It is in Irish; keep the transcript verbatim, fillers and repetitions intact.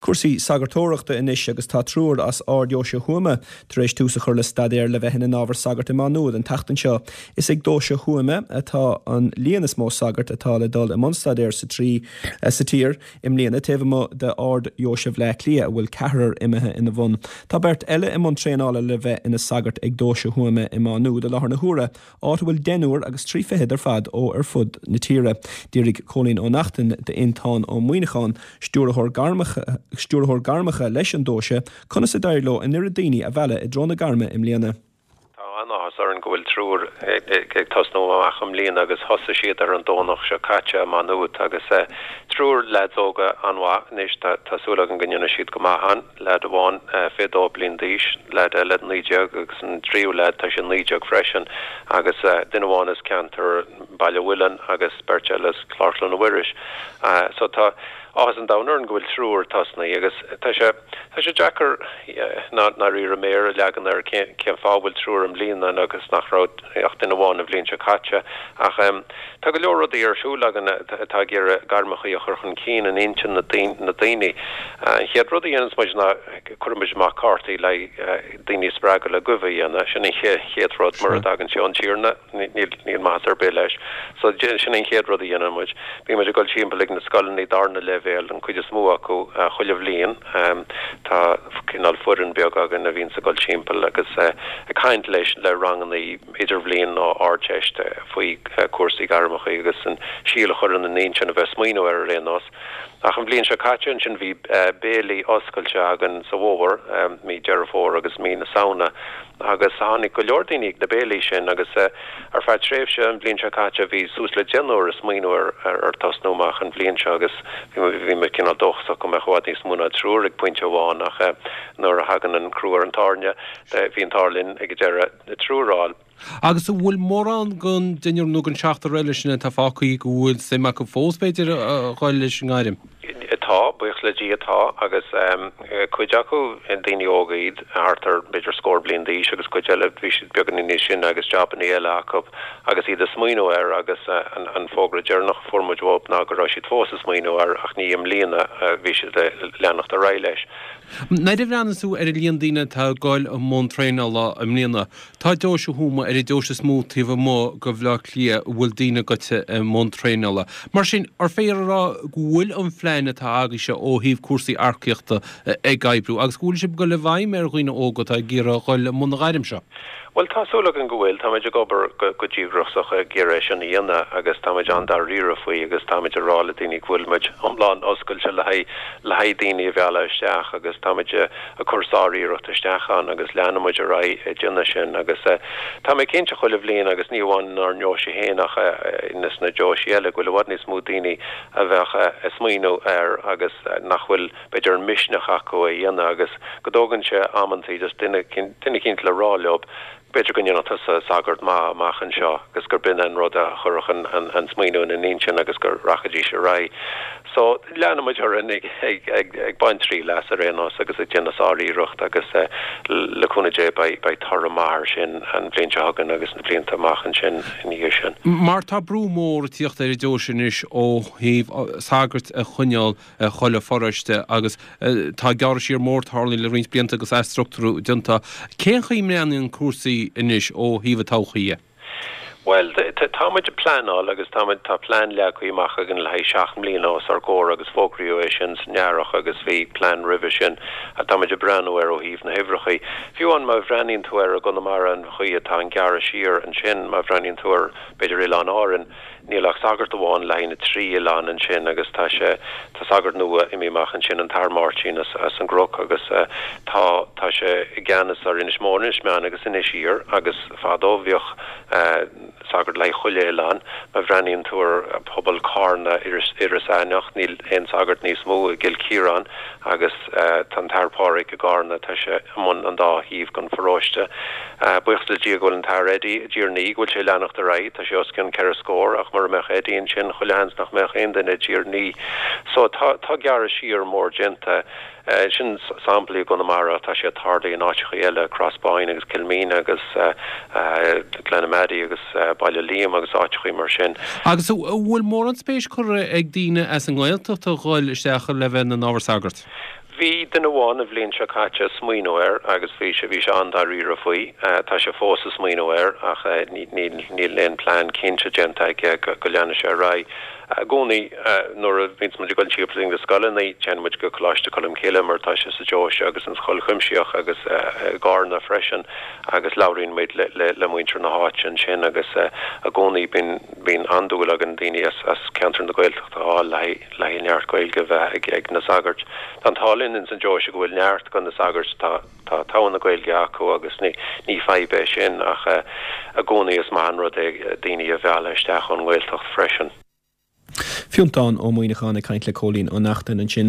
Cúrsaí sagartóireachta anois agus tá triúr as Ard-Deoise Thuama tar éis tús a chur le staidéar le bheith ina n-ábhar sagart i Má Nuad an tseachtain seo. Is ag Deoise Thuama atá an líon is mó sagart atá le dul i mbun staidéir sa trí sa tír i mbliana taobh amuigh de Ard-Deoise Bhaile Átha Cliath a bhfuil ceathrar imithe ina bhun. Tá beirt eile i mbun traenála le bheith ina sagart ag Deoise Thuama i Má Nuad i láthair na huaire, áit a bhfuil deichniúr agus trí fichead ar fad ó ar fud na tíre. D'fhiafraigh Cóilín Ó Neachtain d'Fhionntán Ó Muíneacháin, stiúrthóir gairmeacha stiúrthóir gairmeacha leis an deoise, conas a d'éirigh leo an oiread daoine a mhealladh i dtreo na gairme i mbliana. Tá an-áthas orainn go bhfuil triúr ag tosnú amach i mbliana agus thosaigh siad ar an Domhnach seo caite i Má Nuad agus triúr leaids óga an-mhaith anois tá súil agam go ndéanfaidh siad go maith ann, leaid amháin fiche dó bliain d'aois, leaid eile naoi déag agus an tríú leaid tá sé naoi déag freisin agus duine amháin as ceantar Baile Mhuilinn agus beirt eile as Clár Chluana Mhuiris. So tá áthas an domhain orainn go bhfuil triúr tosnaithe agus tá sé tá sé deacair dáiríre méar a leagan ar cén cén fáth bhfuil triúr i mbliana agus nach raibh ach duine amháin an bhliain seo caite ach tá go leor rudaí ar siúl againn atá ag iarraidh gairmeacha a chur chun cinn in intinn na daoine. An chéad rud a dhéananns muid ná cuirimid amach cártaí le daoine spreagadh le guibhe a dhéanamh, sin an chéad rud mura dtagann sé ón Tiarna níl níl maitheas ar bith leis. So sin an chéad rud a dhéanann muid. Bíonn muid ag dul timpeall ag na scoileanna darna leibhéal an cuid is mó acu chuile bhliain. Tá cineál foireann beag againn a bhíonns ag dul timpeall agus ag caint leis le ranganna idirbhliain nó ardteist faoi cúrsaí gairmeacha agus an síol a chur ina n-intinn a bheith smaoineamh ar ar aon nós. Ach an bhliain seo caite ansin bhí béilí oscailte againn sa bhfómhar, mí Deireadh Fómhair agus mí na Samhna agus tháinig go leor daoine ag na béilí sin agus ar feadh tréimhse an bhliain seo caite bhí suas le deichniúr ag smaoineamh ar ar tosnú amach an bhliain seo agus bhí muid cineál dóchasach go mbeadh i bhfad níos mó ná triúr ag pointe amháin ach nuair a thagann an crú ar an tairne bhí an t-ádh linn ag deireadh triúr a fháil. Agus an bhfuil mórán den deichniúr nó den seachtar eile sin atá fágtha go bhfuil suim acu fós b'fhéidir a dhul leis an ngairm? Tá, buíochas le Dia tá agus cuid acu daoine óga iad thart ar b'fhéidir scór bliain d'aois agus cuid eile bhí siad beagáinín níos sine agus jabanna eile acu agus iad ag smaoineamh air agus an fógra deireanach a fuair muid uathu ná go raibh siad fós ag smaoineamh air ach ní i mbliana a bhí siad ag leanacht ar aghaidh leis. Nuair a bhreathnaíonn tú ar an líon daoine atá ag dul i mbun traenála i mbliana, tá deoise Thuama ar an deoise is mó taobh amuigh de Bhaile Átha Cliath a bhfuil daoine gaibhte i mbun traenála. Mar sin, ar féidir a rá go bhfuil an phlean atá agaibhse ó thaobh cúrsaí earcaíochta ag oibriú agus go bhfuil sibh ag dul i bhfeidhm ar dhaoine óga atá ag iarraidh a dhul i mbun na gairm seo? Bhuel, tá súil againn go bhfuil. Táimid ag obair go díograiseach ag iarraidh é sin a dhéanamh agus táimid an-dáiríre faoi agus táimid ag rá le daoine go bhfuil muid iomlán oscailte le haghaidh le haghaidh daoine a mhealladh isteach agus táimid ag cur sár-iarracht isteach ann agus leanfaidh muid ar aghaidh ag déanamh sin agus tá mé cinnte chuile bhliain agus ní amháin inár ndeoise féin ach sna deoisí eile go bhfuil i bhfad níos mó daoine a bheadh ag smaoineamh air agus nach bhfuil b'fhéidir an misneach acu é a dhéanamh agus go dtógann sé amantaí just duine duine eicínt le rá leo b'fhéidir go ndéanfadh tusa sagart maith amach anseo agus gur b'in an rud a chuirfeadh an an smaoineamh ina n-intinn agus go rachaidís ar aghaidh. So leanfaidh muid orainn ag ag ag ag baint triail as ar aon nós agus ag déanamh sár-iarracht agus le cúnamh Dé beidh beidh toradh maith air sin an bhliain seo chugainn agus na blianta amach ansin ina dhiaidh sin. Mar tá brú mór ag tíocht ar an deoise anois ó thaobh sagairt a choinneáil i chuile pharóiste agus tá gearradh siar mór tarlaithe le roinnt blianta agus athstruchtúrú déanta. Cén chaoi a mbreathnaíonn cúrsaí anois ó thaobh an todhchaí dhe? Bhuel, táimid ag pleanáil agus táimid, tá plean leagtha amach againn le haghaidh seacht mbliana os ár gcomhair agus fógraíodh é sin san earrach agus bhí plean roimhe sin a táimid ag breathnú air ó thaobh na huimhreacha. Fiú amháin má bhreathnaíonn tú ar i gConamara an chaoi atá an gearradh siar ansin, má bhreathnaíonn tú ar b'fhéidir Oileáin Árann, Níl ach sagart amháin le haghaidh na trí oileán ansin agus tá sé, tá sagart nua imithe amach ansin, an tAthair Máirtín as, as an gCnoc agus tá, tá sé i gceannas ar Inis Mór, Inis Meáin agus Inis Oírr agus fadó bhíodh sagart le haghaidh chuile oileán. Má bhreathnaíonn tú ar phobal Carna, Iorras, Iorras Aithneach, níl aon sagart níos mó i gCill Chiaráin agus tá an tAthair Pádraig i gCarna, tá sé i mbun an dá thaobh den pharóiste. Buíochas le Dia go bhfuil an tAthair Eddie i dTír an Fhia, go bhfuil sé ag leanacht ar aghaidh. Tá sé os cionn ceithre scór ach mura mbeadh Eddie ansin, chuile sheans nach mbeadh aon duine i dTír an Fhia. So tá tá gearradh siar mór déanta. Sin samplaí i gConamara ach tá sé ag tarlú in áiteacha eile, Crossboyne agus Kilmeena agus Glenamaddy agus Baile Liam agus áiteacha mar sin. Agus an bhfuil mórán spéis curtha ag daoine as an nGaeltacht a dhul isteach le bheith ina n-ábhar sagart? Bhí duine amháin an bhliain seo caite ag smaoineamh air agus bhí sé bhí sé an-dáiríre faoi. Tá sé fós ag smaoineamh air ach níl níl aon plean cinnte déanta aige go leanfaidh sé ar aghaidh. I gcónaí nuair a bhíonns muid ag dul timpeall na scoileanna téann muid go Coláiste Cholmcille mar tá sé sa deoise agus an Scoil Chuimsitheach agus i gCarna freisin agus labhraíonn muid le le le muintir na háite ansin agus i gcónaí bíonn bíonn an-dúil againn daoine as as ceantar na Gaeltachta a fháil le le neart Gaeilge a bheith ag ag na sagairt. Tá an t-ádh linn ins an deoise go bhfuil neart de na sagairt tá tá togha na Gaeilge acu agus ní ní fadhb é sin ach i gcónaí is maith an rud é daoine a mhealladh isteach ón nGaeltacht freisin. Fiontán Ó Muíneacháin ag caint le Cóilín Ó Neachtain ansin.